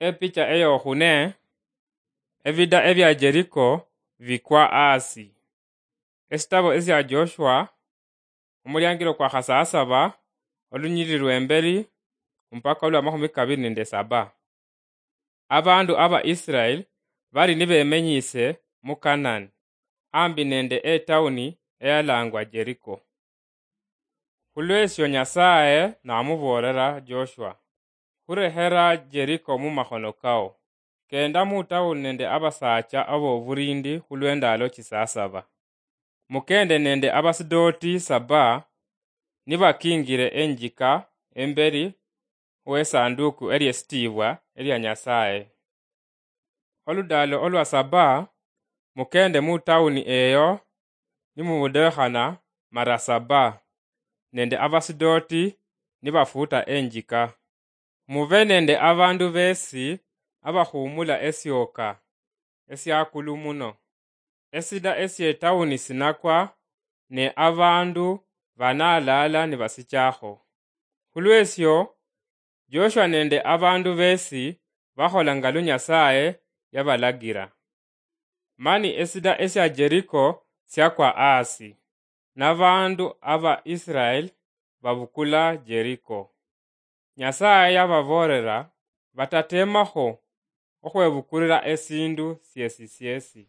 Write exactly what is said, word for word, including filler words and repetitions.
Epicha eyokhune, ebida ebia Jeriko bikwa asi. Esitabo esia Joshua, omuliangilo kwa khasasaba, olunyiriri lwembeli mpaka olwa makhumi kabili nende saba. Abandu aba Israel bali nibemenyise mu Canaan, ambi nende etauni eyalangwa Jeriko. Khulwesio Nyasaye namuboolera Joshua, "Khurehera Jeriko mumakhono kao. Kenda mutauni nende abasaacha aboburindi khulwendalo chisasaba. Mukende nende abasidoti saba nibakingire enjika emberi wesanduku eliesitiibwa elia Nyasaye. Oludalo olwa saba, mukende mutauni eyo nimubudekhana mara saba nende abasidoti nibafuuta enjika. Mube nende abandu besi abakhumula esioka esiakulu muno. Esida esietauni sinakwa, ne abandu banalaala nibasichakho." Khulwesio, Joshua nende abandu besi bakhola nga lu Nyasaye yabalagira. Mani esida esia Jeriko siakwa asi, nabandu aba Israel babukula Jeriko. Nyasaye yababoolera batatemakho okhwebukulira esindu siesi siesi.